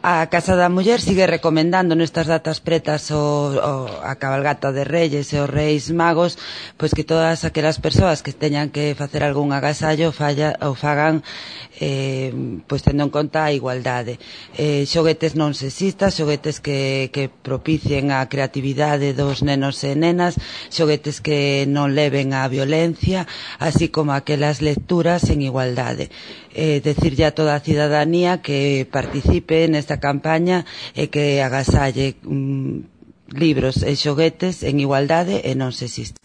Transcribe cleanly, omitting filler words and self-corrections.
A Casa da Muller sigue recomendando nestas datas pretas a cabalgata de Reyes e os Reis Magos, pois que todas aquelas persoas que teñan que facer algún agasallo o fagan pois tendo en conta a igualdade. Xoguetes non sexistas, xoguetes que propicien a creatividade dos nenos e nenas, xoguetes que non leven á violencia, así como aquelas lecturas en igualdade. Decirlle a toda a cidadanía que participe nesta campaña e que agasalle libros e xoguetes en igualdade e non sexistas.